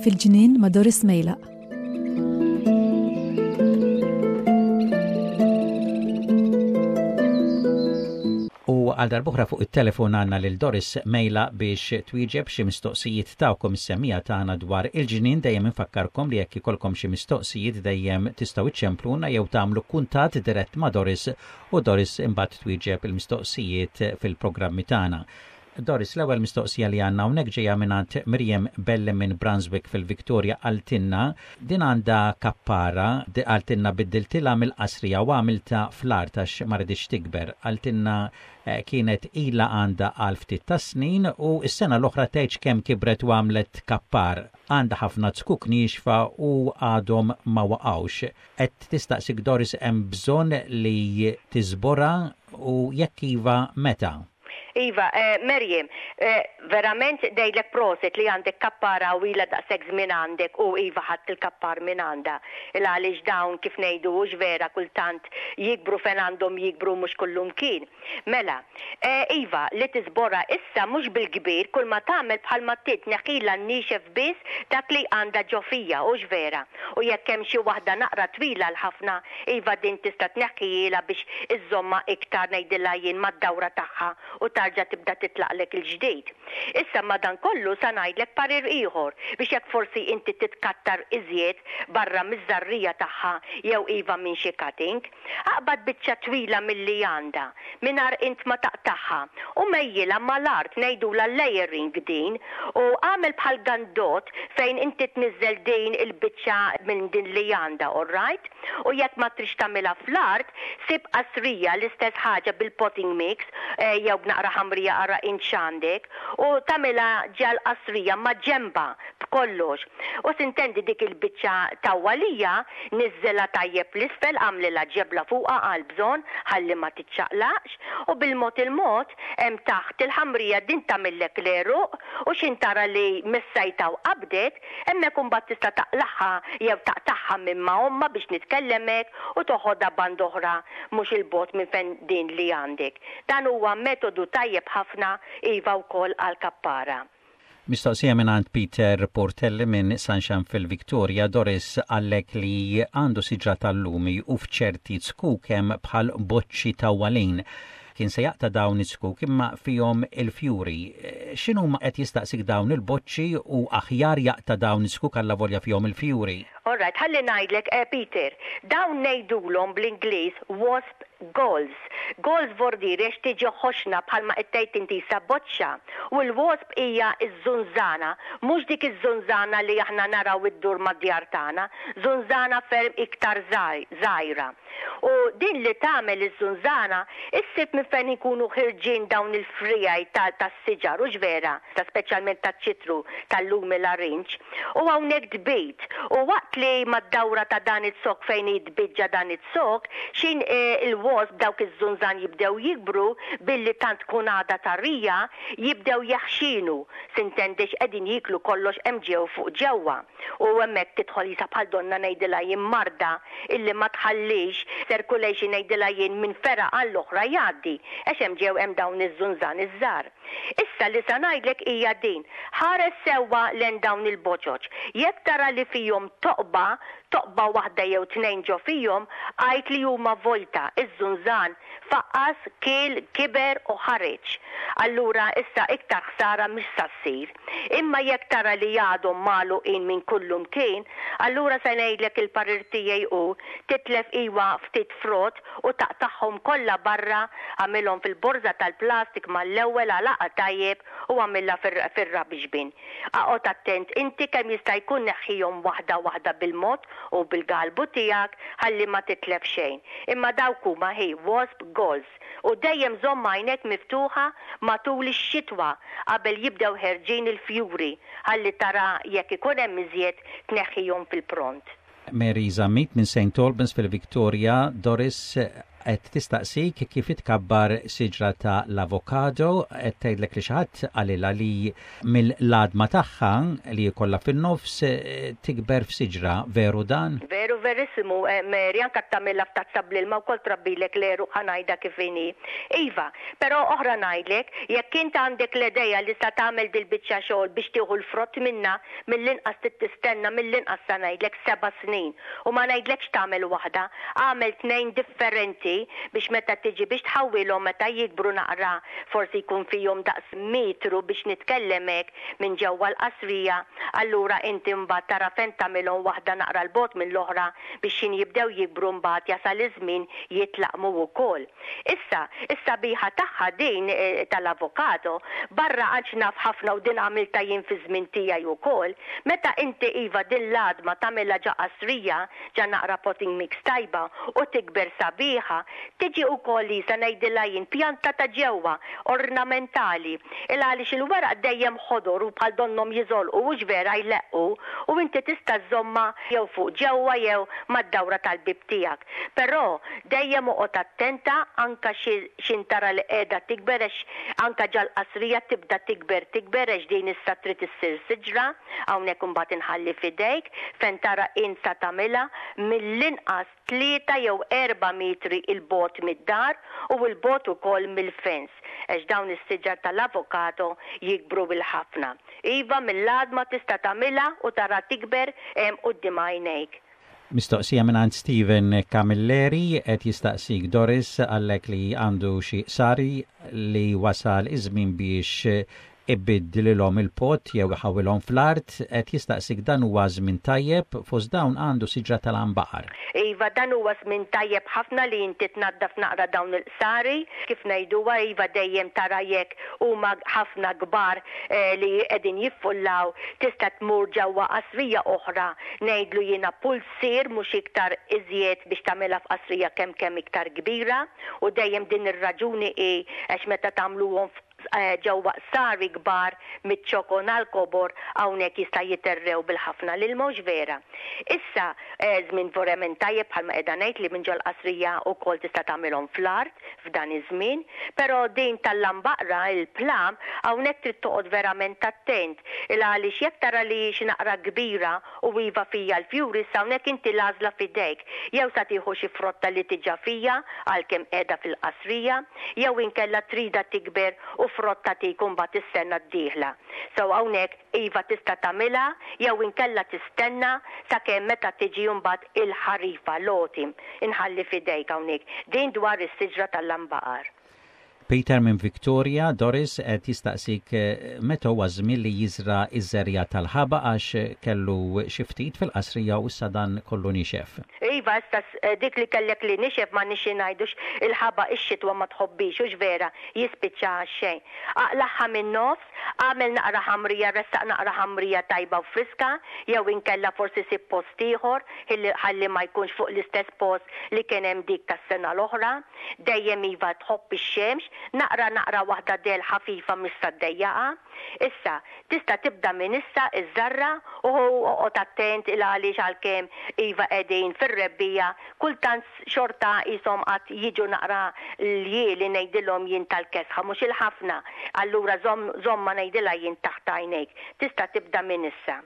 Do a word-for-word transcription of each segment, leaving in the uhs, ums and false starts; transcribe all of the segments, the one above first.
Fil-ġnien ma' Doris Mejlaq. U għal darb'oħra fuq it-telefon għandna lil Doris Mejlaq biex twieġeb xi mistoqsijiet tagħkom is-semmiegħa tagħna dwar il-ġnien. Dejjem infakkarkom li jekk ikolkom xi mistoqsijiet, dejjem tistgħu iċċempluna jew tagħmlu kuntatt dirett ma' Doris u Doris imbagħad twieġeb il-mistoqsijiet fil-programmi tagħna. Doris, l-ewwel mistoqsija li għandna hawnhekk ġejja mingħand Miriam Belli minn Brunswick fil-Victoria. Qaltilna din għandha kappara, qaltilna biddiltilha mill-qasrija u għamilta fl-art għax ma riditx tikber. Qaltilna eh, kienet ila għandha għal ftit ta' snin u s-sena l-oħra tgħidx kemm kibret u għamlet kappar. Għandha ħafna zkuk niexfa u għadhom ma waqgħux. Qed tistaqsik, Doris, hemm bżonn li tiżborha u jekk iva, meta? Iva, eh, Merjem, eh, verament ngħidlek prosit li għandek kappara u ila daqshekk żmien għandek u iva, ħadt il-kappar minn għandha. Il għaliex dawn, kif ngħidu, hux vera, kultant jikbru fejn għandhom jikbru, mhux kullimkien. Mela, eh, iva, li tiżborha issa mhux bil-kbir, kull ma tagħmel bħal ma tneħħilha n-niexef biss, dak li għandha ġo fiha, hux vera. U jekk hemm xi waħda naqra twila l-ħafna, iva, din tista' tneħħihielha biex iżżomma iktar, ngħidilha jien, mad-dawra tagħha u tarġa' tibda titlaqlek il-ġdid. Issa madan kollu sa ngħidlek parir ieħor biex jekk forsi inti titkattar iżjed barra miż-żarrija tagħha jew iva minn xi cutting, aqbad biċċa twila milli għandha mingħajr int ma taqtagħha u mejjilha mal-art, ngħidula layering din, u għamel bħal gandot fejn inti tniżżel din il-biċċa minn din li għandha, all right? U jekk ma trix tagħmilha fl-art, sib qasrija, l-istess ħaġa bil-potting mix eh, jew b'naqra ħamrija, ara int x'għandek, u tagħmilha ġal qasrija ma' ġemba b'kollox. U sintendi dik il-biċċa tawwalija niżżilha tajjeb l-isfel, għamlilha ġebla fuqha għal bżonn ħalli ma tiċċaqlaqx, u bil-mod il-mod hemm taħt il-ħamrija din tagħmillek l-għeruq, u xin tara li missajta u qabdet, hemmhekk imbagħad tista' taqlagħha jew taqtagħha minn ma' omma biex nitkellemek u toħodha band oħra mhux il-bogħod minn fejn din li għandek. Dan huwa metodu tajjeb ħafna iva wkoll għal kappara. Mistoqsija minn għand Peter Portelli minn Sunshine fil-Victoria. Doris, qallek li għandu siġra tal-lumi u f'ċerti zkuk hemm bħal boċċi tawwalin. Kien se jaqta' dawn iz-zkuk imma fihom il-fjuri. X'inhu, qed jistaqsik, dawn il-boċċi u aħjar jaqta' dawn iz-zkuk allavolja fihom il-fjuri? All right, ħalli ngħidlek, eh, Peter, dawn ngħidulhom bl-Ingliż wasp galls. Galls vordiri għax tiġi ħoxna bħalma qed tgħid inti sa boċċa. U l-wasp hija iż-żunżana, mhux dik iż-żunżana li aħna naraw iddur mad-djar tagħna, żunżana ferm iktar żgħira. U din li tagħmel iż-żunżana, issib minn fejn ikunu ħirġin dawn il-frijaj tas-siġar, hux vera, ta' speċjalment taċ-ċitru, tal-lumi, larinġ. U hawnhekk tbid. U waqt li mad-dawra ta' dan iz-zokk fejn jitbiġġa dan iz-zokk, xin eh, il-wasp, dawk iż-żunżan jibdew jikbru billi tant tkun għada tarrija, jibdew jaħxinu. S'intendix qegħdin jiklu kollox hemm ġew fuq ġewwa. U hemmhekk tidħol jisa bħal donna, ngħidilha jien, marda illi ma tħallix circulation, ngħidilha jien, minn fergħa għall-oħra jgħaddi għax hemm ġew hemm dawn iż-żunżan iż-żgħar. Issa li sa ngħidlek hija din: ħares sewwa lejn dawn il-boċoċ. Jekk tara li fihom toqba, toqba waħda jew tnejn ġo fihom, għid li huma vojta, iż-żunżan faqqas, kiel, kiber u ħareġ. Allura issa iktar ħsara mhix sa ssir. Imma jekk tara li għadhom magħluqin minn kullimkien, allura se ngħidlek il-parir tiegħi hu titlef iwa ftit frott u taqtagħhom kollha barra, għamilhom fil-borża tal-plastik mal-ewwel, għalaqa tajjeb u għamilha fir-rubbish bin. Aqgħod attent inti kemm jista' jkun, neħħihom waħda waħda bil-mod u bil-galbu tiegħek ħalli ma titlef xejn. Imma dawk huma hi wasp galls u dejjem żomm għajnek miftuħa matul ix-xitwa qabel jibdew ħerġin il-fjuri ħalli tara jekk ikun hemm iżjed, tneħħihom fil-pront. Mary Zammit minn Saint Albans fil-Victoria, Doris, Qed tistaqsik kif itkabbar siġra ta' l-avokado, qed tgħidlek li xi ħadd qalilha li mill-għadma tagħha li jkollha fin-nofs eh, tikber f'siġra. Veru dan? Veru verissimu, eh, Mary, anka tagħmilha f'tazza bl-ilma wkoll trabbilek l-għeruq, ħa ngħidha kif inhi. Iva, però oħra ngħidlek, jekk int għandek l-idea li sa tagħmel dil-biċċa xogħol biex tieħu l-frott minna, mill-inqas tistenna mill-inqas sa ngħidlek seba' snin. U ma ngħidlekx tagħmel waħda, għamel tnejn differenti biex meta tiġi biex tħawwilhom meta jikbru naqra, forsi jkun fihom daqs metru biex nitkellem hekk minn ġewwa l-qasrija, allura inti mbagħad tara fejn tagħmilhom, waħda naqra 'l bogħod mill-oħra, biex xin jibdew jikbru mbagħad jasal iż-żmien jitlaqmu wkoll. Issa, is-sabiħa tagħha din eh, tal-avokado, barra għax naf ħafna u din għamilta jien fi żmien tiegħi wkoll, meta inti iva din l-għadma tagħmilha ġo qasrija, ġo naqra potting mix tajba u tikber sabiħa, tiġi wkoll li sa ngħidilha jien pjanta ta' ġewwa ornamentali. Il għaliex il-weraq dejjem ħodor u bħal donnom jiżolqu, hux vera, jleqqu, u inti tista' żżommha jew fuq ġewwa jew mad-dawra tal-bib tiegħek. Però dejjem oqgħod attenta anka x'ħin tara li qiegħda tikber, għax anka ġol-qasrija tibda tikber tikber, għax din issa trid issir siġra. Hawnhekk imbagħad inħalli f'idejk fejn tara int sa tagħmilha mill-inqas tlieta jew erba' metri 'l bogħod mid-dar u 'l bogħod ukoll mill-fence, għax dawn is-siġar tal-avokado jikbru bil-ħafna. Iva, mill-għadma tista' tagħmilha u tara tikber hemm quddiem għajnejk. Mistoqsija minn Steven Camilleri, qed jistaqsik Doris, għalhekk li għandu xi qsari li wasal iż-żmien biex ibiddlilhom il-pot jew iħawilhom fl-art, qed jistaqsik dan huwa żmien tajjeb, fost dawn għandu siġra tal-għanbaqar. Iva, dan huwa żmien tajjeb ħafna li inti tnaddaf naqra dawn il-qsari, kif ngħiduha, iva, dejjem tara jekk huma ħafna kbar eh, li qegħdin jiffullaw, tista' tmur ġewwa qasrija oħra, ngħidlu jiena pulzier, mhux iktar iżjed, biex tagħmilha f'qasrija kemm kemm iktar kbira. U dejjem din ir-raġuni hi għax meta tagħmluhom eh, ġewwa qsari kbar miċ-ċokon għal kobor, hawnhekk jista' jiterrew bil-ħafna lil mhux vera. Issa eh, żmien verament tajjeb, bħalma qiegħda ngħid, li minn ġol-qasrija wkoll tista' tagħmilhom fl-art f'dan iż-żmien, però din tal-għanbaqra, il-plum, hawnhekk trid toqgħod verament attent. Il għaliex jekk tara li xi naqra kbira u iva fija l-fjuri, issa hawnhekk inti l-għażla f'idejk. Jew sa tieħu xi frotta li diġà fija għalkemm qiegħda fil-qasrija, jew inkella trida tikber u frotta tikun mbagħad is-sena d-dieħla. So hawnhekk iva tista' tagħmilha jew inkella tistenna sakemm meta tiġi mbagħad il-ħarifa, l-autumn. Inħalli f'idejk hawnhekk. Din dwar is-siġra tal-għanbaqar. Peter minn Victoria, Doris, qed jistaqsik eh, meta huwa żmien li jiżra iż-żerriegħa tal-ħabaq, għax kellu xi ftit fil-qasrija u issa dan kollu nixef. Iva, issa eh, dik li kellek li nixef ma nixi ngħidux il-ħabaq ix-xitwa ma tħobbix, hux vera, jispiċċa xejn. Aqlagħha minn nofs, għamel naqra ħamrija, ressaq naqra ħamrija tajba u friska, jew inkella forsi sib post ieħor ħalli ma jkunx fuq l-istess post li kien hemm dik tas-sena l-oħra. Dejjem iva tħobb ix-xemx, naqra naqra waħda dell ħafifa mista ddejjaqa. Issa, tista' tibda minn issa iż-żarra u oqgħod attent il għaliex għalkemm iva qegħdin fir-rebbiegħa, kultant xorta qishom qatt jiġu naqra ljieli ngħidilhom jien tal-kesħa, mhux il-ħafna. Allura żomm żomma ngħidilha jien taħt għajnejk. Tista' tibda minn issa.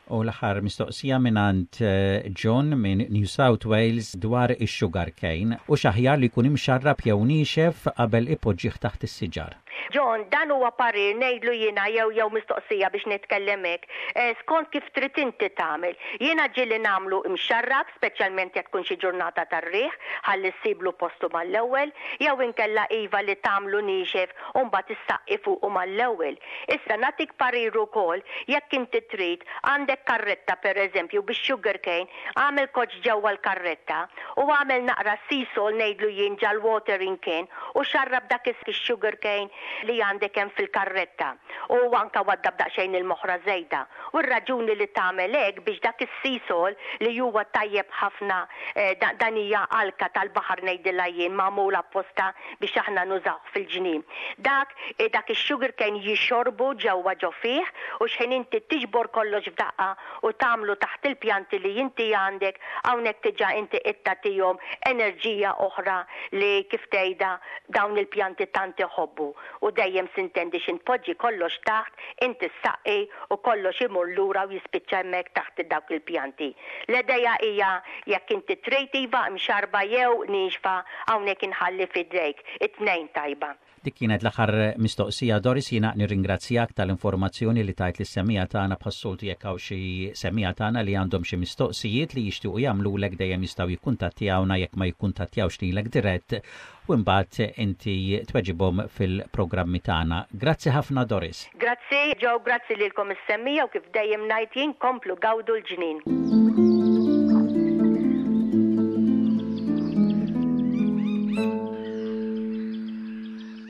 U l-aħħar mistoqsija minn eh, John minn New South Wales dwar ix-sugar cane u x'aħjar li jkun imxarrab jew niexef qabel ipoġġih taħt is-siġar. John, dan huwa parir ngħidlu jiena jew jew mistoqsija biex nitkellem hekk. Eh, skont kif trid inti tagħmel. Jiena ġieli nagħmlu imxarrab, speċjalment jekk tkun xi ġurnata tar-riħ, ħalli ssiblu postu mal-ewwel, jew inkella iva li tagħmlu niexef u mbagħad issaqqi fuqu mal-ewwel. Issa nagħtik parir ukoll, jekk inti trid, għandek karretta pereżempju bix-sugar cane, għamel koċ ġewwa l-karretta u għamel naqra sea salt, ngħidlu jien, ġol-watering can u xarrab dak is-sugar cane. li għandek hemm fil-karretta u anka waddab daqsxejn il-moħra żejda. U r-raġuni li tagħmel hekk biex dak is-Seasol li huwa tajjeb ħafna, eh, dan hija alka tal-baħar ngħidilha jien, magħmula apposta biex aħna nużaw fil-ġnien. Dak eh, dak ix-sugar cane jixorbu ġewwa ġo fih u xħin inti tiġbor kollox f'daqqa u tagħmlu taħt il-pjanti li inti għandek, hawnhekk diġà inti qed tagħtihom enerġija oħra li, kif tgħidha, dawn il-pjanti tant iħobbu. U dejjem s'intendi x'ħin tpoġġi kollox taħt, inti ssaqqi u kollox imur lura u jispiċċa hemmhekk taħt dawk il-pjanti. L-idea hija jekk inti trid iva mxarba jew nixfa, hawnhekk inħalli f'idejk. It-tnejn tajba. Dik kienet l-aħħar mistoqsija, Doris. Jiena nirringrazzjak tal-informazzjoni li tajt lis-semmiegħa tagħna. Bħas-soltu, jekk hawn xi semmiegħa tagħna li għandhom xi mistoqsijiet li jixtiequ jagħmlulek, dejjem jistgħu jikkuntattjawna jekk ma jikkuntattjawx lilek dirett u mbagħad inti tweġibhom fil-programmi tagħna. Grazzi ħafna, Doris. Grazzi Joe, grazzi lilkom is-semmiegħa u kif dejjem ngħid jien, komplu gawdu l-ġnien.